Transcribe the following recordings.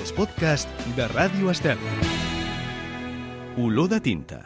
els podcasts de Ràdio Estel. Olor de tinta.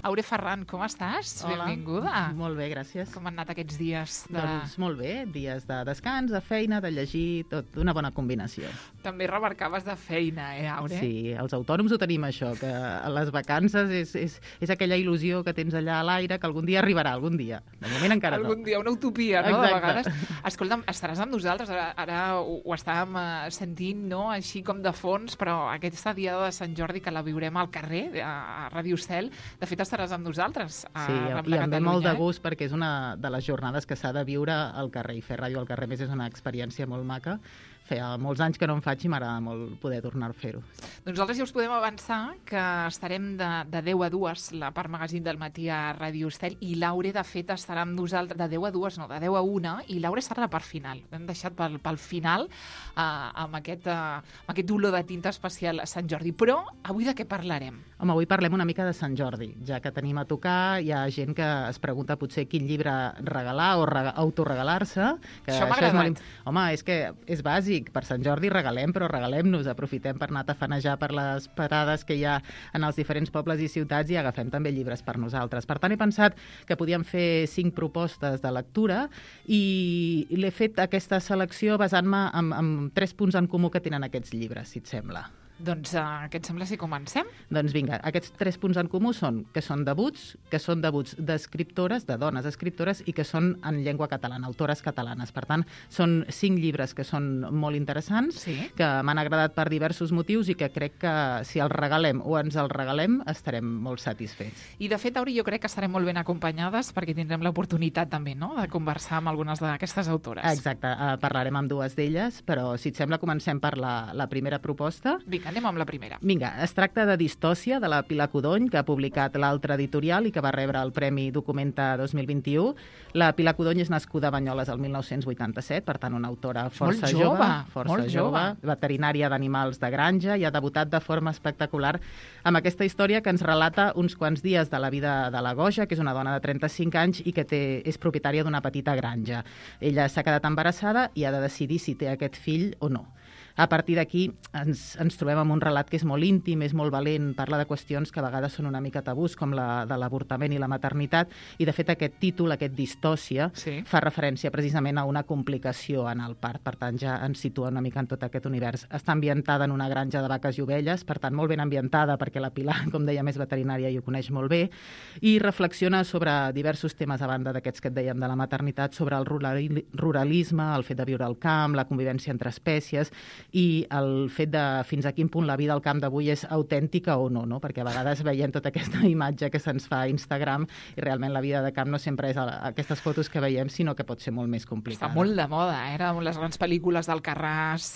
Aure Ferran, com estàs? Hola. Benvinguda. Molt bé, gràcies. Com han anat aquests dies? Doncs molt bé, dies de descans, de feina, de llegir, tot una bona combinació. També remarcaves de feina, Aure? Sí, els autònoms ho tenim això, que a les vacances és aquella il·lusió que tens allà a l'aire que algun dia arribarà, algun dia. De moment encara no. Algun dia, una utopia, no? Exacte. De vegades. Escolta'm, estaràs amb nosaltres, ara ho estàvem sentint, no?, així com de fons, però aquesta diada de Sant Jordi que la viurem al carrer, a Ràdio Estel, de fet estaràs amb nosaltres. Sí, i em ve molt de gust perquè és una de les jornades que s'ha de viure al carrer, i fer ràdio al carrer més és una experiència molt maca. Feia molts anys que no en faig i m'agrada molt poder tornar a fer-ho. Doncs nosaltres ja us podem avançar que estarem de 10 a 2, la part magazín del matí a Ràdio Estel, i Laure, de fet, estarà amb nosaltres de 10 a 2, no, de 10 a 1, i Laure serà la part final. L'hem deixat pel final amb aquest olor de tinta especial a Sant Jordi. Però avui de què parlarem? Home, avui parlem una mica de Sant Jordi, ja que tenim a tocar, hi ha gent que es pregunta potser quin llibre regalar o autoregalar-se. Això m'ha agradat. Home, és que és bàsic. Per Sant Jordi regalem, però regalem-nos. Aprofitem per anar a tafanejar per les parades que hi ha en els diferents pobles i ciutats i agafem també llibres per nosaltres. Per tant, he pensat que podíem fer 5 propostes de lectura i l'he fet aquesta selecció basant-me en 3 punts en comú que tenen aquests llibres, si et sembla. Doncs què et sembla si comencem? Doncs vinga, aquests 3 punts en comú són que són debuts d'escriptores, de dones escriptores, i que són en llengua catalana, autores catalanes. Per tant, són 5 llibres que són molt interessants, Sí. que m'han agradat per diversos motius i que crec que si els regalem o ens els regalem estarem molt satisfets. I de fet, Auri, jo crec que estarem molt ben acompanyades perquè tindrem l'oportunitat també, no?, de conversar amb algunes d'aquestes autores. Exacte, parlarem amb 2 d'elles, però si et sembla comencem per la primera proposta. Vinga, anem amb la primera. Vinga, es tracta de Distòcia, de la Pilar Codony, que ha publicat l'Altre Editorial i que va rebre el Premi Documenta 2021. La Pilar Codony és nascuda a Banyoles el 1987, per tant, una autora força jove, veterinària d'animals de granja, i ha debutat de forma espectacular amb aquesta història que ens relata uns quants dies de la vida de la Goja, que és una dona de 35 anys i que és propietària d'una petita granja. Ella s'ha quedat embarassada i ha de decidir si té aquest fill o no. A partir d'aquí ens trobem amb un relat que és molt íntim, és molt valent, parla de qüestions que a vegades són una mica tabús, com la de l'avortament i la maternitat, i de fet aquest títol, aquest Distòcia, Sí. fa referència precisament a una complicació en el part, per tant ja ens situa una mica en tot aquest univers. Està ambientada en una granja de vaques i ovelles, per tant molt ben ambientada perquè la Pilar, com deia, és veterinària i ho coneix molt bé, i reflexiona sobre diversos temes a banda d'aquests que et dèiem de la maternitat, sobre el ruralisme, el fet de viure al camp, la convivència entre espècies, i el fet de fins a quin punt la vida al camp d'avui és autèntica o no, perquè a vegades veiem tota aquesta imatge que se'ns fa a Instagram i realment la vida de camp no sempre és aquestes fotos que veiem, sinó que pot ser molt més complicada. Està molt de moda, les grans pel·lícules d'Alcarràs,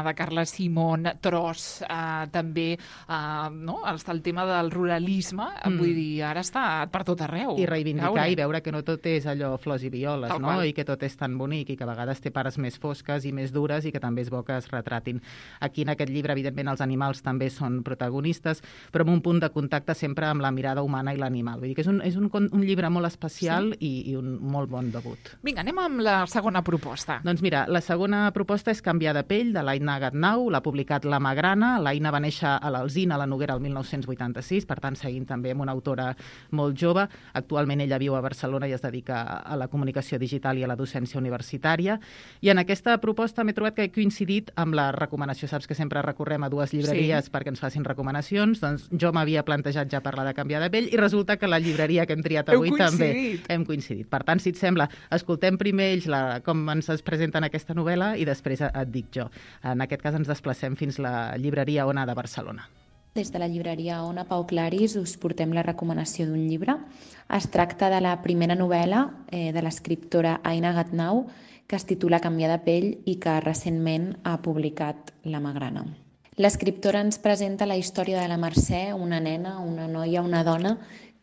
de Carla Simón, Tros, també, no?, el tema del ruralisme, vull dir, ara està per tot arreu. I reivindicar Laura. i veure que no tot és allò flors i violes, Tal no?, qual. i que tot és tan bonic i que a vegades té parts més fosques i més dures i que també és bo que es retratin. Aquí en aquest llibre, evidentment, els animals també són protagonistes, però amb un punt de contacte sempre amb la mirada humana i l'animal. Vull dir que és un llibre molt especial, sí, i un molt bon debut. Vinga, anem amb la segona proposta. Doncs mira, la segona proposta és Canviar de pell, de l'Aina Gatnau, l'ha publicat La Magrana. L'Aina va néixer a l'Alzina, a la Noguera, el 1986, per tant, seguint també amb una autora molt jove. Actualment ella viu a Barcelona i es dedica a la comunicació digital i a la docència universitària. I en aquesta proposta m'he trobat que he coincidit amb la recomanació. Saps que sempre recorrem a 2 llibreries, sí, perquè ens facin recomanacions. Doncs jo m'havia plantejat ja parlar de Canviar de pell i resulta que la llibreria que hem triat avui també hem coincidit. Per tant, si et sembla, escoltem primer ells com ens es presenten aquesta novel·la i després et dic jo. En aquest cas ens desplacem fins la llibreria Ona de Barcelona. Des de la llibreria Ona Pau Claris us portem la recomanació d'un llibre. Es tracta de la primera novel·la de l'escriptora Aina Gatnau, que es titula Canviar de pell i que recentment ha publicat La Magrana. L'escriptora ens presenta la història de la Mercè, una nena, una noia, una dona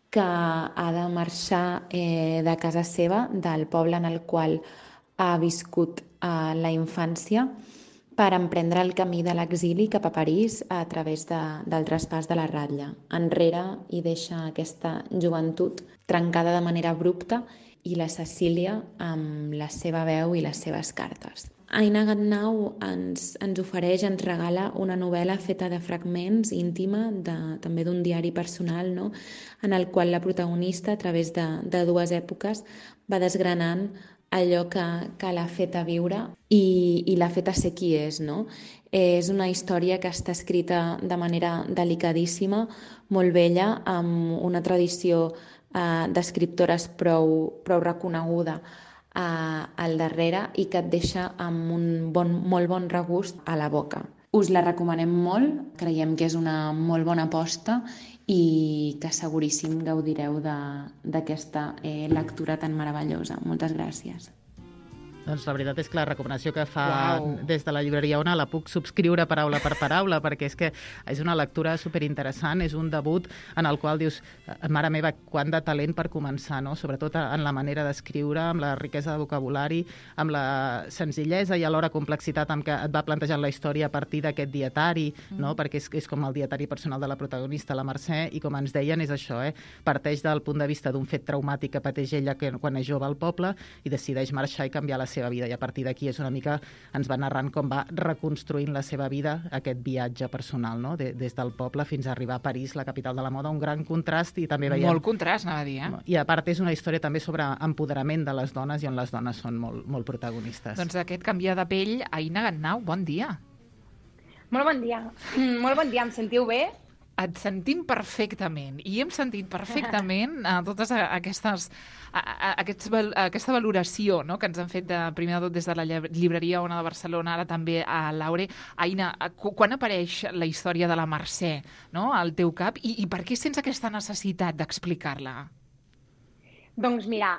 que ha de marxar de casa seva, del poble en el qual ha viscut la infància, per emprendre el camí de l'exili cap a París a través del traspàs de la ratlla. Enrere hi deixa aquesta joventut trencada de manera abrupta i la Cecília amb la seva veu i les seves cartes. Aina Gatnau ens ofereix, ens regala una novel·la feta de fragments, íntima, també d'un diari personal, no? En el qual la protagonista, a través de dues èpoques, va desgranant allò que l'ha fet a viure i l'ha fet a ser qui és, no? És una història que està escrita de manera delicadíssima, molt bella, amb una tradició d'escriptores prou reconeguda al darrere i que et deixa amb un molt bon regust a la boca. Us la recomanem molt, creiem que és una molt bona aposta i que seguríssim gaudireu d'aquesta lectura tan meravellosa. Moltes gràcies. Doncs la veritat és que la recomanació que fa des de la llibreria Ona la puc subscriure paraula per paraula, perquè és que és una lectura superinteressant, és un debut en el qual dius, mare meva, quant de talent per començar, no? Sobretot en la manera d'escriure, amb la riquesa de vocabulari, amb la senzillesa i alhora complexitat amb què et va plantejant la història a partir d'aquest dietari, no? Perquè és com el dietari personal de la protagonista, la Mercè, i com ens deien és això, parteix del punt de vista d'un fet traumàtic que pateix ella quan és jove al poble i decideix marxar i canviar la seva vida, i a partir d'aquí és una mica, ens va narrant com va reconstruint la seva vida, aquest viatge personal, no? Des del poble fins a arribar a París, la capital de la moda, un gran contrast, i també veiem... Molt contrast, anava a dir, I a part és una història també sobre empoderament de les dones i on les dones són molt protagonistes. Doncs aquest canviar de pell, Aina Gatnau, bon dia. Molt bon dia. Molt bon dia, em sentiu bé? Et sentim perfectament, i hem sentit perfectament totes aquesta valoració, no?, que ens han fet primer de tot des de la llibreria Ona de Barcelona, ara també a Laure. Aina, quan apareix la història de la Mercè, no?, al teu cap, i per què sents aquesta necessitat d'explicar-la? Doncs mira,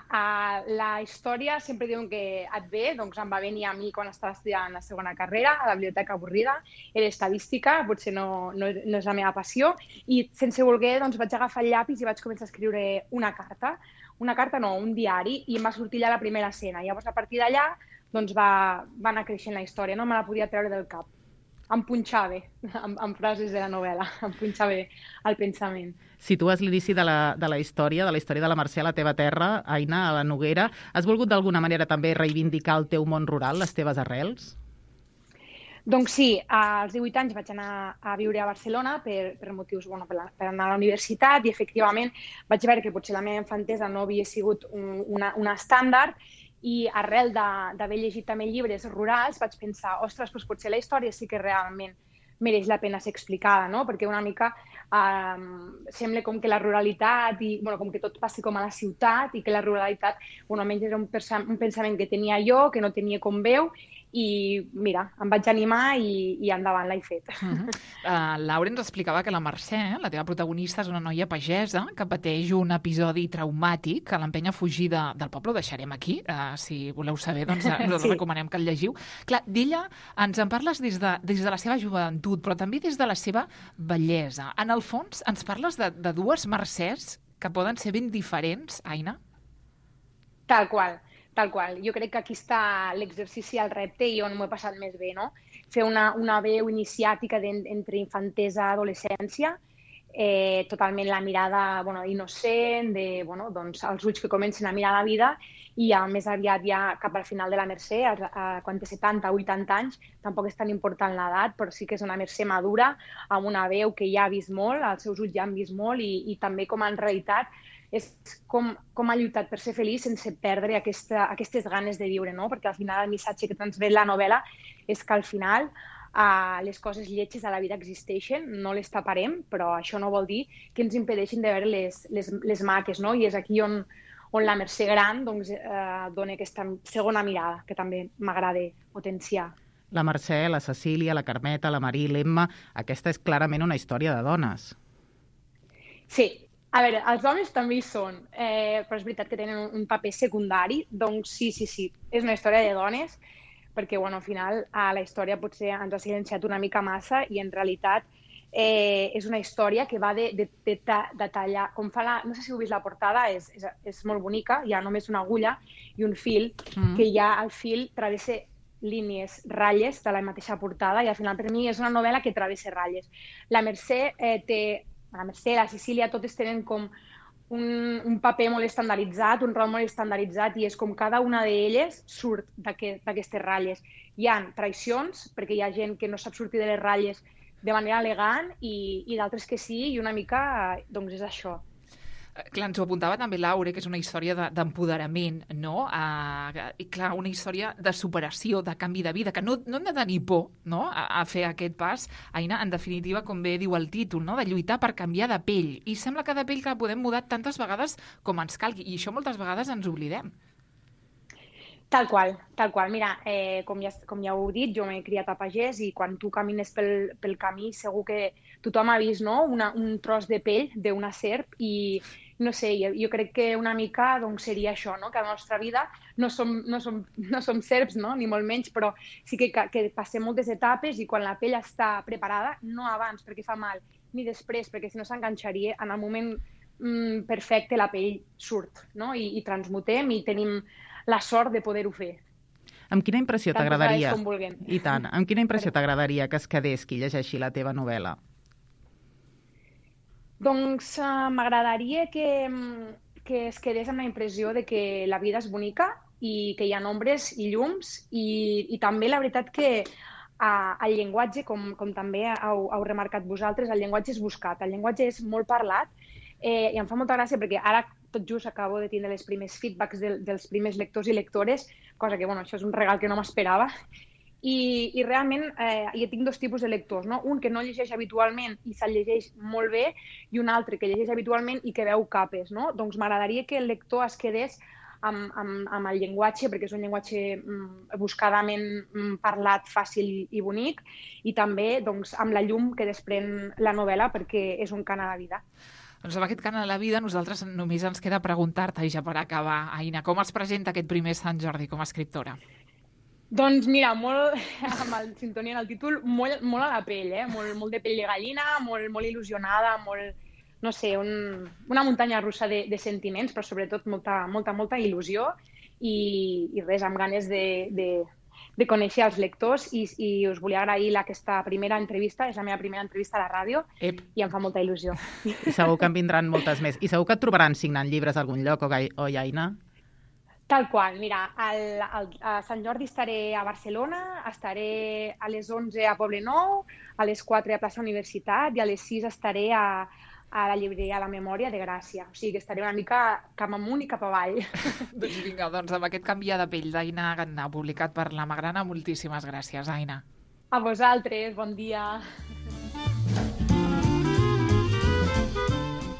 la història sempre diuen que et ve, doncs em va venir a mi quan estava estudiant la segona carrera, a la biblioteca avorrida, era estadística, potser no és la meva passió, i sense voler doncs vaig agafar el llapis i vaig començar a escriure un diari, i em va sortir ja la primera escena. Llavors, a partir d'allà, doncs va anar creixent la història, no me la podia treure del cap. Em punxava amb frases de la novel·la, em punxava el pensament. Situes l'inici de la història de la Mercè a la teva terra, Aina, a la Noguera. Has volgut d'alguna manera també reivindicar el teu món rural, les teves arrels? Doncs sí, als 18 anys vaig anar a viure a Barcelona per motius, per anar a la universitat, i efectivament vaig veure que potser la meva infantesa no havia sigut una estàndard, i arrel d'haver llegit també llibres rurals vaig pensar, ostres, doncs potser la història sí que realment mereix la pena ser explicada, no? Perquè una mica sembla com que la ruralitat, com que tot passi com a la ciutat, i que la ruralitat, almenys era un pensament que tenia jo, que no tenia com veu, i mira, em vaig animar i endavant l'he fet. Laura ens explicava que la Mercè, la teva protagonista, és una noia pagesa que pateix un episodi traumàtic que l'empenya a fugir del poble. Ho deixarem aquí, si voleu saber, doncs us recomanem que el llegiu. Clar, d'ella ens en parles des de la seva joventut, però també des de la seva bellesa. En el fons, ens parles de dues Mercès que poden ser ben diferents, Aina? Tal qual. Jo crec que aquí està l'exercici, el repte, i on m'ho he passat més bé, no? Fer una veu iniciàtica entre infantesa i adolescència, totalment la mirada innocent, doncs els ulls que comencen a mirar la vida, i ja més aviat ja cap al final de la Mercè, quan té 70 o 80 anys, tampoc és tan important l'edat, però sí que és una Mercè madura, amb una veu que ja ha vist molt, els seus ulls ja han vist molt, i també com en realitat és com ha lluitat per ser feliç sense perdre aquestes ganes de viure, no? Perquè al final el missatge que transmet la novel·la és que al final les coses lletges a la vida existeixen, no les taparem, però això no vol dir que ens impedeixin de veure les maques, no? I és aquí on la Mercè gran dona aquesta segona mirada, que també m'agrada potenciar. La Mercè, la Cecília, la Carmeta, la Marí, l'Emma, aquesta és clarament una història de dones. Sí. A veure, els homes també hi són, però és veritat que tenen un paper secundari, doncs sí, és una història de dones, perquè al final la història potser ens ha silenciat una mica massa, i en realitat és una història que va de tallar, com fa no sé si heu vist la portada, és molt bonica, hi ha només una agulla i un fil, que ja el fil travessa línies, ratlles de la mateixa portada, i al final per mi és una novel·la que travessa ratlles. La Mercè, la Cecília, totes tenen com un paper molt estandarditzat, un rol molt estandarditzat, i és com cada una d'elles surt d'aquestes ratlles. Hi ha traïcions, perquè hi ha gent que no sap sortir de les ratlles de manera elegant i d'altres que sí, i una mica doncs és això. Clar, ens ho apuntava també Laure, que és una història d'empoderament, no? I clar, una història de superació, de canvi de vida, que no hem de tenir por, no?, a fer aquest pas. Aina, en definitiva, com bé diu el títol, no?, de lluitar per canviar de pell. I sembla que de pell que la podem mudar tantes vegades com ens calgui, i això moltes vegades ens oblidem. Tal qual. Mira, com ja heu dit, jo m'he criat a pagès i quan tu camines pel camí segur que tothom ha vist, no?, un tros de pell d'una serp i no sé, jo crec que una mica doncs, seria això, no?, que a la nostra vida no som serps, no?, ni molt menys, però sí que passem moltes etapes i quan la pell està preparada, no abans perquè fa mal, ni després perquè si no s'enganxaria, en el moment perfecte la pell surt, no?, i transmutem i tenim la sort de poder-ho fer. Amb quina impressió t'agradaria? Com vulguem. I tant. Amb quina impressió t'agradaria que es quedés qui llegeixi la teva novel·la? Doncs m'agradaria que es quedés amb la impressió de que la vida és bonica i que hi ha ombres i llums i també la veritat que el llenguatge, com també heu remarcat vosaltres, el llenguatge és buscat, el llenguatge és molt parlat i em fa molta gràcia perquè ara tot just acabo de tindre els primers feedbacks dels primers lectors i lectores, cosa que, bueno, això és un regal que no m'esperava. I realment jo tinc dos tipus de lectors, no? Un que no llegeix habitualment i se'l llegeix molt bé i un altre que llegeix habitualment i que veu capes, no? Doncs m'agradaria que el lector es quedés amb el llenguatge, perquè és un llenguatge buscadament parlat, fàcil i bonic, i també doncs, amb la llum que desprèn la novel·la, perquè és un cant a la vida. Doncs amb aquest cant a la vida nosaltres només ens queda preguntar-te, i ja per acabar, Aina, com es presenta aquest primer Sant Jordi com a escriptora? Doncs mira, molt, amb el sintonia en el títol, molt a la pell, molt de pell de gallina, molt il·lusionada, molt, no sé, una muntanya russa de sentiments, però sobretot molta il·lusió i res, amb ganes de conèixer els lectors i us volia agrair aquesta primera entrevista, és la meva primera entrevista a la ràdio i em fa molta il·lusió. I segur que en vindran moltes més. I segur que et trobaran signant llibres a algun lloc, oi, Aina? Tal qual, mira, a Sant Jordi estaré a Barcelona, estaré a les 11 a Poblenou, a les 4 a Plaça Universitat i a les 6 estaré a la llibreria La Memòria de Gràcia. O sigui que estaré una mica cap amunt i cap avall. Doncs vinga, amb aquest canviar de pell d'Aina Gatnau, publicat per La Magrana, moltíssimes gràcies, Aina. A vosaltres, bon dia.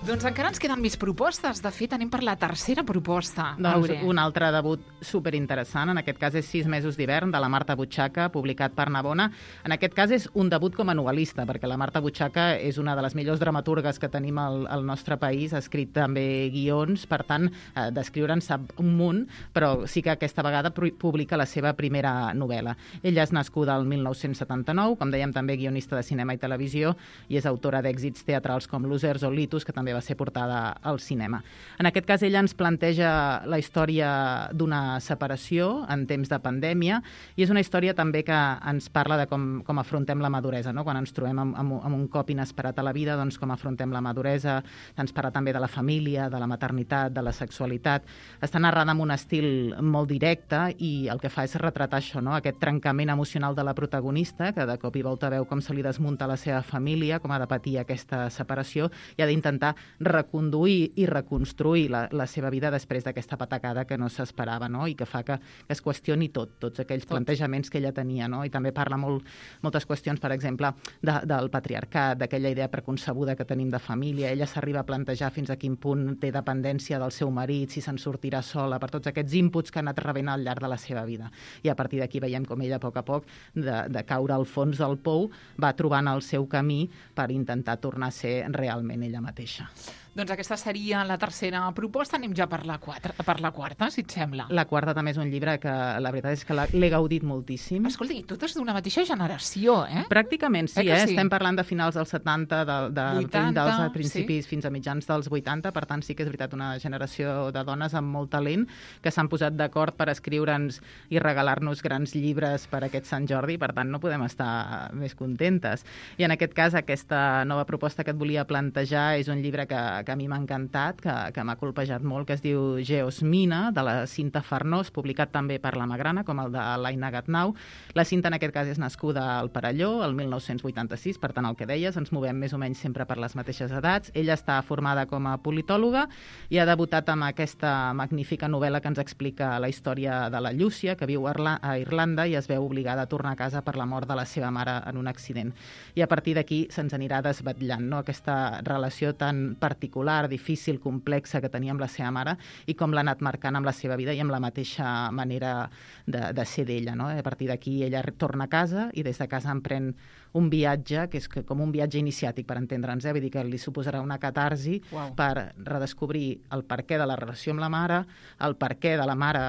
Doncs encara ens queden més propostes. De fet, anem per la tercera proposta. Doncs un altre debut superinteressant. En aquest cas és 6 mesos d'hivern, de la Marta Butxaca, publicat per Navona. En aquest cas és un debut com a novel·lista, perquè la Marta Butxaca és una de les millors dramaturgues que tenim al nostre país. Ha escrit també guions, per tant, d'escriure en sap un munt, però sí que aquesta vegada publica la seva primera novel·la. Ella és nascuda el 1979, com dèiem, també guionista de cinema i televisió, i és autora d'èxits teatrals com Losers o Litus, que també va ser portada al cinema. En aquest cas, ella ens planteja la història d'una separació en temps de pandèmia i és una història també que ens parla de com afrontem la maduresa, no? Quan ens trobem amb un cop inesperat a la vida, doncs com afrontem la maduresa, ens parla també de la família, de la maternitat, de la sexualitat. Està narrada amb un estil molt directe i el que fa és retratar això, no? Aquest trencament emocional de la protagonista, que de cop i volta veu com se li desmunta la seva família, com ha de patir aquesta separació i ha d'intentar reconduir i reconstruir la seva vida després d'aquesta patacada que no s'esperava, no? I que fa que es qüestioni tots aquells plantejaments que ella tenia, no? I també parla moltes qüestions, per exemple, del patriarcat, d'aquella idea preconcebuda que tenim de família. Ella s'arriba a plantejar fins a quin punt té dependència del seu marit, si se'n sortirà sola, per tots aquests inputs que ha anat rebent al llarg de la seva vida. I a partir d'aquí veiem com ella, a poc, de caure al fons del pou, va trobant el seu camí per intentar tornar a ser realment ella mateixa. Doncs aquesta seria la tercera proposta. Anem ja per la quarta, si et sembla. La quarta també és un llibre que la veritat és que l'he gaudit moltíssim. Escolta, i totes d'una mateixa generació, eh? Pràcticament sí, sí. Estem parlant de finals dels 70, 80, dels principis fins a mitjans dels 80, per tant sí que és veritat una generació de dones amb molt talent que s'han posat d'acord per escriure'ns i regalar-nos grans llibres per aquest Sant Jordi, per tant no podem estar més contentes. I en aquest cas aquesta nova proposta que et volia plantejar és un llibre que que a mi m'ha encantat, que m'ha colpejat molt, que es diu Geosmina, de la Cinta Farnós, publicat també per la Magrana, com el de l'Aina Gatnau. La Cinta, en aquest cas, és nascuda al Perelló, el 1986, per tant, el que deies, ens movem més o menys sempre per les mateixes edats. Ella està formada com a politòloga i ha debutat amb aquesta magnífica novel·la que ens explica la història de la Llúcia, que viu a Irlanda i es veu obligada a tornar a casa per la mort de la seva mare en un accident. I a partir d'aquí se'ns anirà desvetllant, no?, aquesta relació tan particular, difícil, complexa que tenia amb la seva mare i com l'ha anat marcant amb la seva vida i amb la mateixa manera de ser d'ella, no? A partir d'aquí ella torna a casa i des de casa emprèn un viatge, que és com un viatge iniciàtic, per entendre'ns, vull dir que li suposarà una catarsi per redescobrir el perquè de la relació amb la mare, el perquè de la mare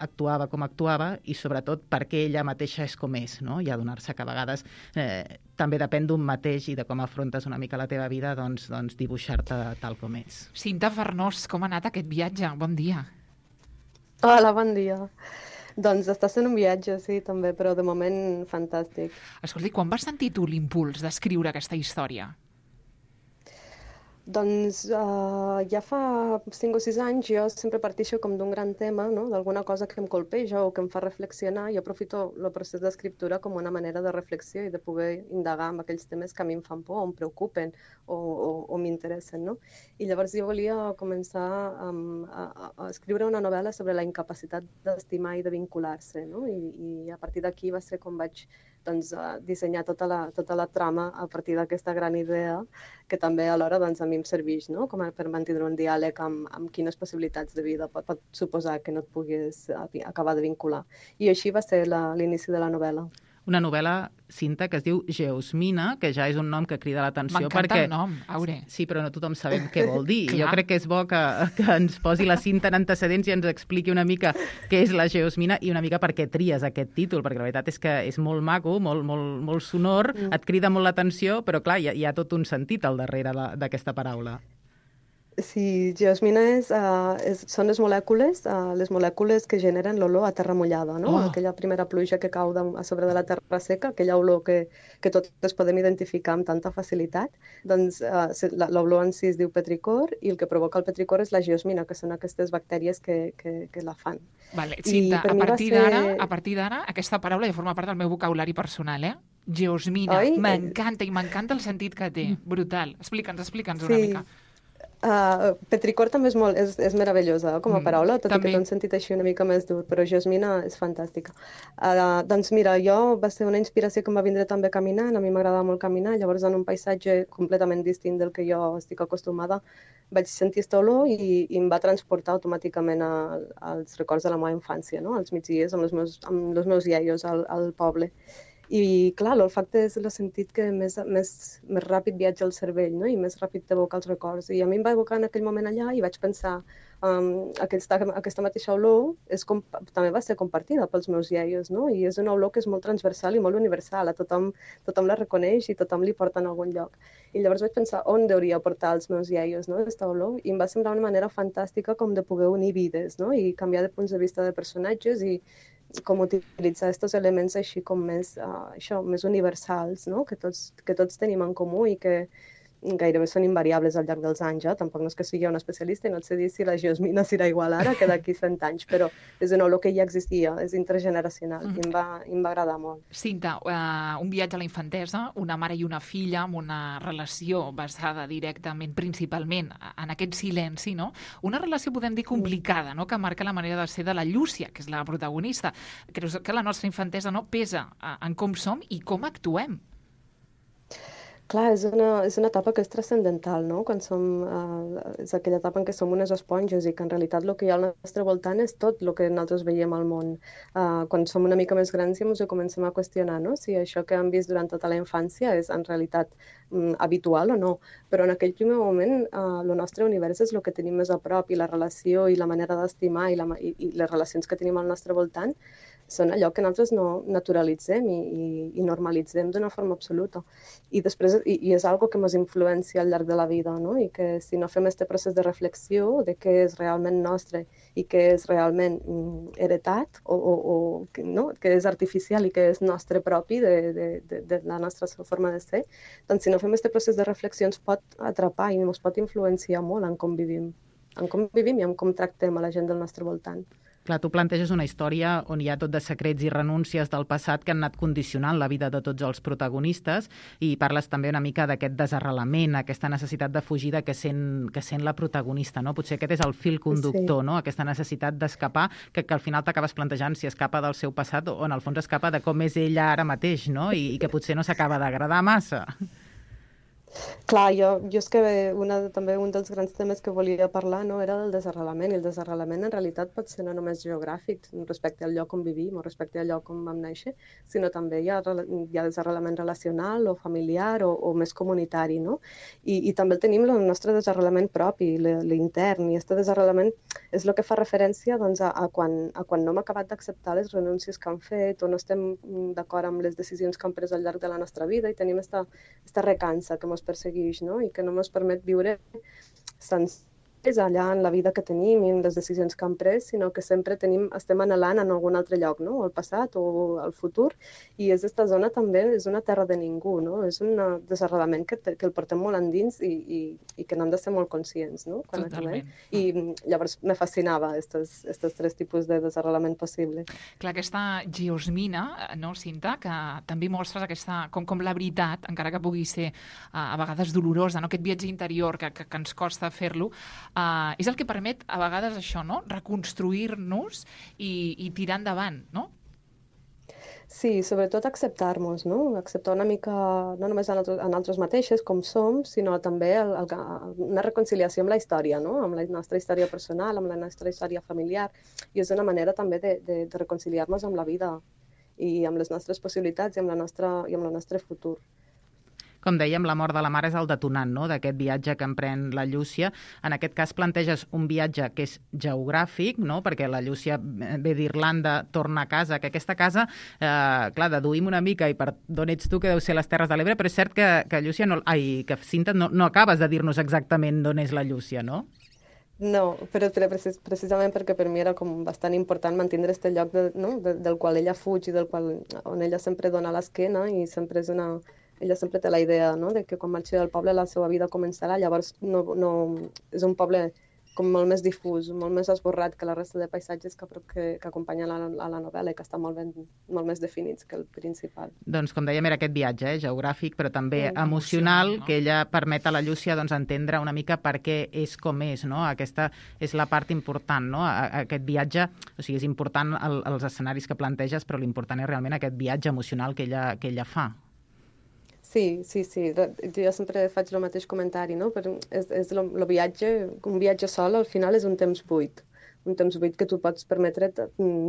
actuava com actuava i sobretot perquè ella mateixa és com és, no? I adonar-se que a vegades també depèn d'un mateix i de com afrontes una mica la teva vida, doncs dibuixar-te tal com és. Cinta Farnós, com ha anat aquest viatge? Bon dia. Hola, bon dia. Doncs està sent un viatge, sí, també, però de moment fantàstic. Escolta, quan vas sentir tu l'impuls d'escriure aquesta història? Doncs ja fa 5 o 6 anys jo sempre parteixo com d'un gran tema, no?, d'alguna cosa que em colpeja o que em fa reflexionar i aprofito el procés d'escriptura com una manera de reflexió i de poder indagar en aquells temes que a mi em fan por o em preocupen o m'interessen, no? I llavors jo volia començar a escriure una novel·la sobre la incapacitat d'estimar i de vincular-se, no? I a partir d'aquí va ser com vaig dissenyar tota la trama a partir d'aquesta gran idea que també alhora a mi em serveix, no?, com per mantenir un diàleg amb quines possibilitats de vida pot suposar que no et puguis acabar de vincular. I així va ser l'inici de la novel·la. Una novel·la, Cinta, que es diu Geosmina, que ja és un nom que crida l'atenció. M'encanta el nom, Aure. Sí, però no tothom sabem què vol dir. Jo crec que és bo que ens posi la Cinta en antecedents i ens expliqui una mica què és la Geosmina i una mica per què tries aquest títol, perquè la veritat és que és molt maco, molt sonor, et crida molt l'atenció, però clar, hi ha tot un sentit al darrere d'aquesta paraula. Sí, geosmina són les molècules que generen l'olor a terra mullada, no? Aquella primera pluja que cau a sobre de la terra seca, aquella olor que totes podem identificar amb tanta facilitat. Doncs l'olor en si es diu petricor i el que provoca el petricor és la geosmina, que són aquestes bactèries que la fan. Vale, Cinta, a partir d'ara aquesta paraula ja forma part del meu vocabulari personal, eh? Geosmina, m'encanta i m'encanta el sentit que té, brutal. Explica'ns una mica. Petricor també és meravellosa com a paraula, tot i que té un sentit així una mica més dur, però geosmina és fantàstica. Doncs mira, va ser una inspiració que em va vindre també caminant, a mi m'agrada molt caminar, llavors en un paisatge completament distint del que jo estic acostumada vaig sentir aquesta olor i em va transportar automàticament als records de la meva infància, no? Als migdies amb els meus iaios al poble. I, clar, l'olfacte és el sentit que més ràpid viatja al cervell, no? I més ràpid t'evoca els records. I a mi em va evocar en aquell moment allà i vaig pensar aquesta mateixa olor també va ser compartida pels meus iaios, no? I és una olor que és molt transversal i molt universal. A tothom la reconeix i tothom li porta en algun lloc. I llavors vaig pensar on hauria portar els meus iaios, no?, aquesta olor. I em va semblar una manera fantàstica com de poder unir vides, no? I canviar de punts de vista de personatges i com utilitzar aquests elements així com més universals, no?, que tots tenim en comú i que gairebé són invariables al llarg dels anys. Tampoc no és que sigui una especialista i no et sé dir si la geosmina serà igual ara que d'aquí 100 anys, però és una olor que ja existia, és intergeneracional i em va agradar molt. Cinta, un viatge a la infantesa, una mare i una filla amb una relació basada directament, principalment, en aquest silenci, no? Una relació, podem dir, complicada, no?, que marca la manera de ser de la Llúcia, que és la protagonista. Creus que la nostra infantesa pesa en com som i com actuem? Clar, és una etapa que és transcendental, no? És aquella etapa en què som unes esponges i que en realitat el que hi ha al nostre voltant és tot el que nosaltres veiem al món. Quan som una mica més grans ja ens ho comencem a qüestionar, no?, si això que hem vist durant tota la infància és en realitat habitual o no. Però en aquell primer moment el nostre univers és el que tenim més a prop i la relació i la manera d'estimar i les relacions que tenim al nostre voltant són allò que nosaltres no naturalitzem i normalitzem d'una forma absoluta. I després i és algo que ens influencia al llarg de la vida, no? I que si no fem aquest procés de reflexió de què és realment nostre i què és realment heretat o no? Que és artificial i que és nostre propi de la nostra forma de ser, doncs si no fem aquest procés de reflexió ens pot atrapar i ens pot influenciar molt en com vivim i en com tractem a la gent del nostre voltant. Clar, tu planteges una història on hi ha tot de secrets i renúncies del passat que han anat condicionant la vida de tots els protagonistes i parles també una mica d'aquest desarrelament, aquesta necessitat de fugida que sent la protagonista, no? Potser aquest és el fil conductor, no? Aquesta necessitat d'escapar, que al final t'acabes plantejant si escapa del seu passat o en el fons escapa de com és ella ara mateix, no? I que potser no s'acaba d'agradar massa. Clar, jo és que també un dels grans temes que volia parlar no, era del desarrelament, i el desarrelament en realitat pot ser no només geogràfic respecte al lloc on vivim o respecte al lloc on vam néixer, sinó també hi ha desarrelament relacional o familiar o més comunitari, no? I també tenim el nostre desarrelament propi, l'intern, i aquest desarrelament és el que fa referència doncs, a quan no hem acabat d'acceptar les renúncies que han fet o no estem d'acord amb les decisions que han pres al llarg de la nostra vida i tenim aquesta recança que ens persegueix, no? I que no ens permet viure sencers allà en la vida que tenim i en les decisions que hem pres, sinó que sempre estem anhelant en algun altre lloc, no? Al passat o al futur, i aquesta zona també és una terra de ningú, no? És un desarrelament que el portem molt endins i que n'hem de ser molt conscients, no? Quan acabem. I llavors me fascinava estos tres tipus de desarrelament possible. Clar, aquesta geosmina, no, Cinta, que també mostres aquesta, com la veritat, encara que pugui ser a vegades dolorosa, no? Aquest viatge interior que ens costa fer-lo, és el que permet a vegades això, no? Reconstruir-nos i tirar endavant, no? Sí, sobretot acceptar-nos, no? Acceptar una mica, no només a nosaltres mateixes, com som, sinó també una reconciliació amb la història, no? Amb la nostra història personal, amb la nostra història familiar, i és una manera també de reconciliar-nos amb la vida i amb les nostres possibilitats i amb el nostre futur. Com dèiem, la mort de la mare és el detonant, no?, d'aquest viatge que emprèn la Llúcia. En aquest cas planteges un viatge que és geogràfic, no?, perquè la Llúcia ve d'Irlanda, torna a casa, que aquesta casa, clar, deduïm una mica, i per d'on ets tu, que deu ser les Terres de l'Ebre, però és cert que Llúcia, que Cinta, no acabes de dir-nos exactament d'on és la Llúcia, no? No, però precisament perquè per mi era com bastant important mantenir aquest lloc del qual ella fuig i on ella sempre dona l'esquena i sempre ella sempre té la idea, no?, de que quan marxi del poble la seva vida començarà, llavors és un poble com molt més difús, molt més esborrat que la resta de paisatges que acompanyen a la novel·la i que estan molt més definits que el principal. Doncs, com dèiem, era aquest viatge geogràfic, però també emocional, no? Que ella permet a la Llúcia entendre una mica per què és com és, no? Aquesta és la part important, no? Aquest viatge, o sigui, és important els escenaris que planteges, però l'important és realment aquest viatge emocional que ella fa. Sí. Jo sempre faig el mateix comentari, no? És el viatge, un viatge sol al final és un temps buit que tu pots permetre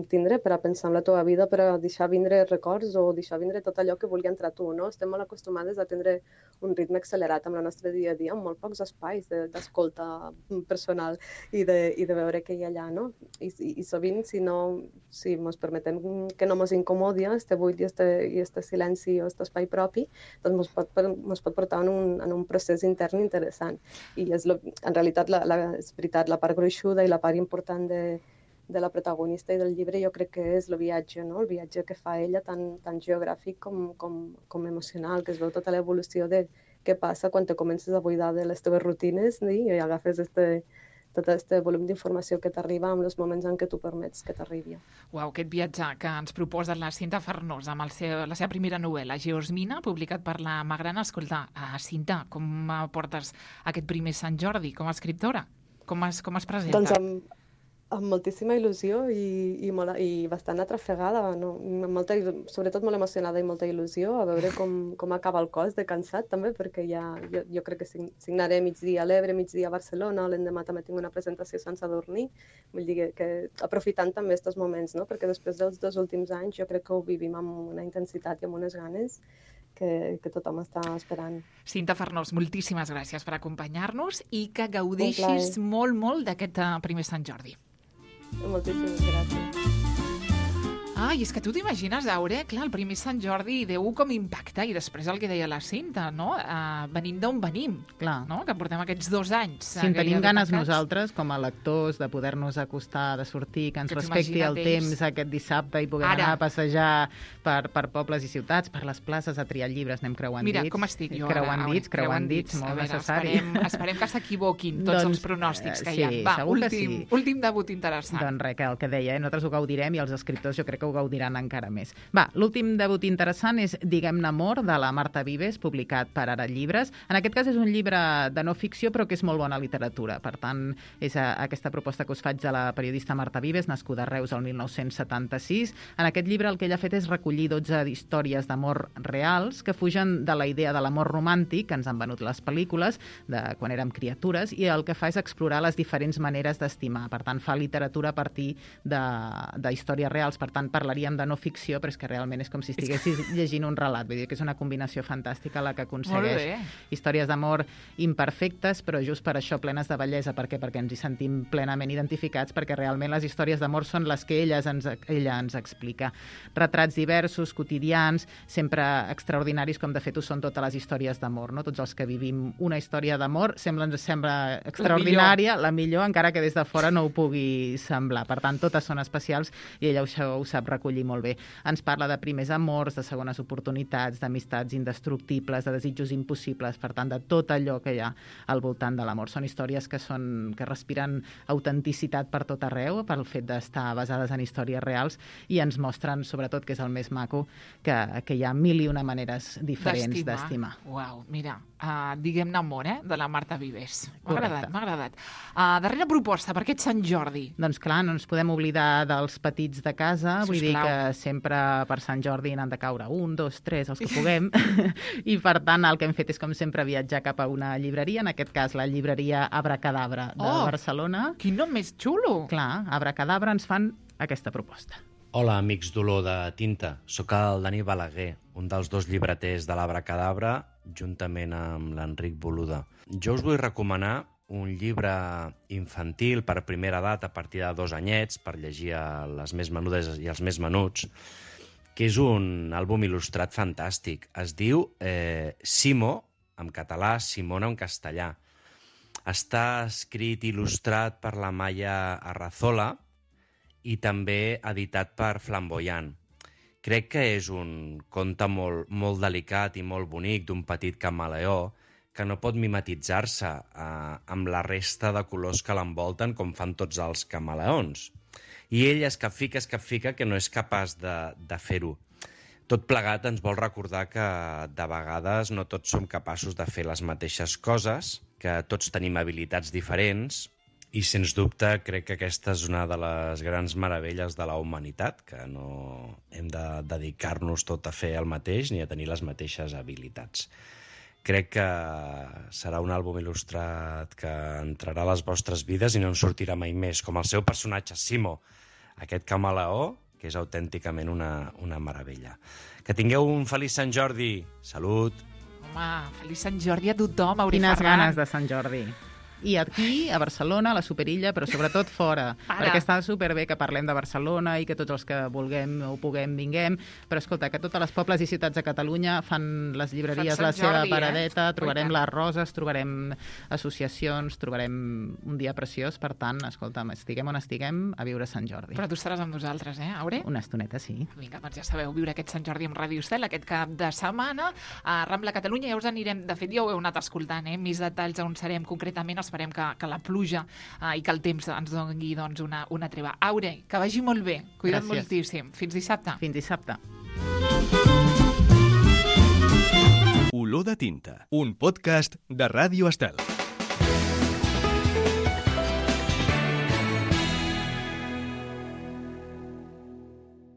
tindre per a pensar en la teva vida, per a deixar vindre records o deixar vindre tot allò que vulgui entrar tu, no? Estem molt acostumades a tindre un ritme accelerat amb el nostre dia a dia, amb molt pocs espais d'escolta personal i de veure què hi ha allà, no? I sovint, si ens permetem que no ens incomodi este buit i este silenci o este espai propi, doncs ens pot portar en un procés intern interessant. I en realitat, és veritat, la part gruixuda i la part important de la protagonista i del llibre jo crec que és el viatge, no? El viatge que fa ella tant geogràfic com emocional, que es veu tota l'evolució de què passa quan te comences a buidar de les teves rutines i agafes tot aquest volum d'informació que t'arriba en els moments en què tu permets que t'arribi. Uau, aquest viatge que ens proposa la Cinta Farnós amb la seva primera novel·la, Geosmina, publicat per la Magrana. Escolta, Cinta, com portes aquest primer Sant Jordi com a escriptora? Com es presenta? Doncs amb moltíssima il·lusió i bastant atrafegada, no? Sobretot molt emocionada i molta il·lusió, a veure com acaba el cos de cansat també, perquè jo crec que signaré migdia a l'Ebre, migdia a Barcelona, l'endemà també tinc una presentació a Sant Sadurní, vull dir que aprofitant també aquests moments, no? Perquè després dels 2 últims anys jo crec que ho vivim amb una intensitat i amb unes ganes que tothom està esperant. Cinta Farnós, moltíssimes gràcies per acompanyar-nos i que gaudeixis molt, molt d'aquest primer Sant Jordi. Moltíssimes gràcies. Ai, és que tu t'imagines, Aure, clar, el primer Sant Jordi deu com impactar, i després el que deia la Cinta, no? Venim d'on venim, clar, no? Que portem aquests 2 anys. Si en tenim ganes nosaltres, com a lectors, de poder-nos acostar, de sortir, que ens respecti el temps aquest dissabte i puguem anar a passejar per pobles i ciutats, per les places, a triar llibres, anem creuant dits. Mira, com estic jo creuant dits, molt necessari. Esperem que s'equivoquin tots els pronòstics que hi ha. Va, últim debut interessant. Doncs res, que el que deia, nosaltres ho gaudirem i els escriptors jo crec que ho gaudiran encara més. Va, l'últim debut interessant és Diguem-ne amor, de la Marta Vives, publicat per Ara Llibres. En aquest cas és un llibre de no ficció, però que és molt bona literatura. Per tant, és aquesta proposta que us faig de la periodista Marta Vives, nascuda a Reus el 1976. En aquest llibre el que ella ha fet és recollir 12 històries d'amor reals que fugen de la idea de l'amor romàntic que ens han venut les pel·lícules de quan érem criatures, i el que fa és explorar les diferents maneres d'estimar. Per tant, fa literatura a partir d'històries reals. Per tant, parlaríem de no ficció, però és que realment és com si estiguessis llegint un relat. Vull dir que és una combinació fantàstica la que aconsegueix històries d'amor imperfectes, però just per això plenes de bellesa. Per què? Perquè ens hi sentim plenament identificats, perquè realment les històries d'amor són les que ella ens explica. Retrats diversos, quotidians, sempre extraordinaris, com de fet ho són totes les històries d'amor, no? Tots els que vivim una història d'amor ens sembla extraordinària, la millor, encara que des de fora no ho pugui semblar. Per tant, totes són especials i ella ho sap recollir molt bé. Ens parla de primers amors, de segones oportunitats, d'amistats indestructibles, de desitjos impossibles, per tant, de tot allò que hi ha al voltant de l'amor. Són històries que respiren autenticitat per tot arreu, pel fet d'estar basades en històries reals, i ens mostren, sobretot, que és el més maco, que hi ha 1001 maneres diferents d'estimar. Uau, mira, Diguem-ne amor, de la Marta Vives. M'ha agradat. Darrera proposta, per aquest Sant Jordi. Doncs clar, no ens podem oblidar dels petits de casa, vull dir que sempre per Sant Jordi n'han de caure 1, 2, 3, els que puguem, i per tant el que hem fet és, com sempre, viatjar cap a una llibreria, en aquest cas la llibreria Abracadabra de Barcelona. Quin nom més xulo! Clar, Abracadabra ens fan aquesta proposta. Hola, amics d'Olor de Tinta. Soc el Dani Balaguer, un dels 2 llibreters de l'Abracadabra, juntament amb l'Enric Boluda. Jo us vull recomanar un llibre infantil per primera edat, a partir de 2 anyets, per llegir a les més menudes i els més menuts, que és un àlbum il·lustrat fantàstic. Es diu Simo, en català, Simona en castellà. Està escrit i il·lustrat per la Maya Arrazola i també editat per Flamboyant. Crec que és un conte molt delicat i molt bonic d'un petit camaleó que no pot mimetitzar-se amb la resta de colors que l'envolten com fan tots els camaleons. I ell es capfica que no és capaç de fer-ho. Tot plegat ens vol recordar que de vegades no tots som capaços de fer les mateixes coses, que tots tenim habilitats diferents, i sens dubte crec que aquesta és una de les grans meravelles de la humanitat, que no hem de dedicar-nos tot a fer el mateix ni a tenir les mateixes habilitats. Crec que serà un àlbum il·lustrat que entrarà a les vostres vides i no en sortirà mai més, com el seu personatge Simo, aquest camaleó, que és autènticament una meravella. Que tingueu un feliç Sant Jordi. Salut! Home, feliç Sant Jordi a tothom, Auri Ferran. Quines ganes de Sant Jordi. I aquí, a Barcelona, a la Superilla, però sobretot fora. Perquè està superbé que parlem de Barcelona i que tots els que vulguem o puguem vinguem, però escolta, que totes les pobles i ciutats de Catalunya fan les llibreries la seva paradeta, trobarem les roses, trobarem associacions, trobarem un dia preciós, per tant, escolta'm, estiguem on estiguem, a viure Sant Jordi. Però tu estaràs amb nosaltres, Aure? Una estoneta, sí. Vinga, doncs ja sabeu, viure aquest Sant Jordi amb Ràdio Estel aquest cap de setmana a Rambla Catalunya, ja us anirem, de fet ja ho heu anat escoltant, més detalls on serem concretament. Esperem que la pluja i que el temps ens doni doncs, una treva. Aure, que vagi molt bé. Cuida't moltíssim. Fins dissabte. Fins dissabte. Olor de tinta, un podcast de Ràdio Estel.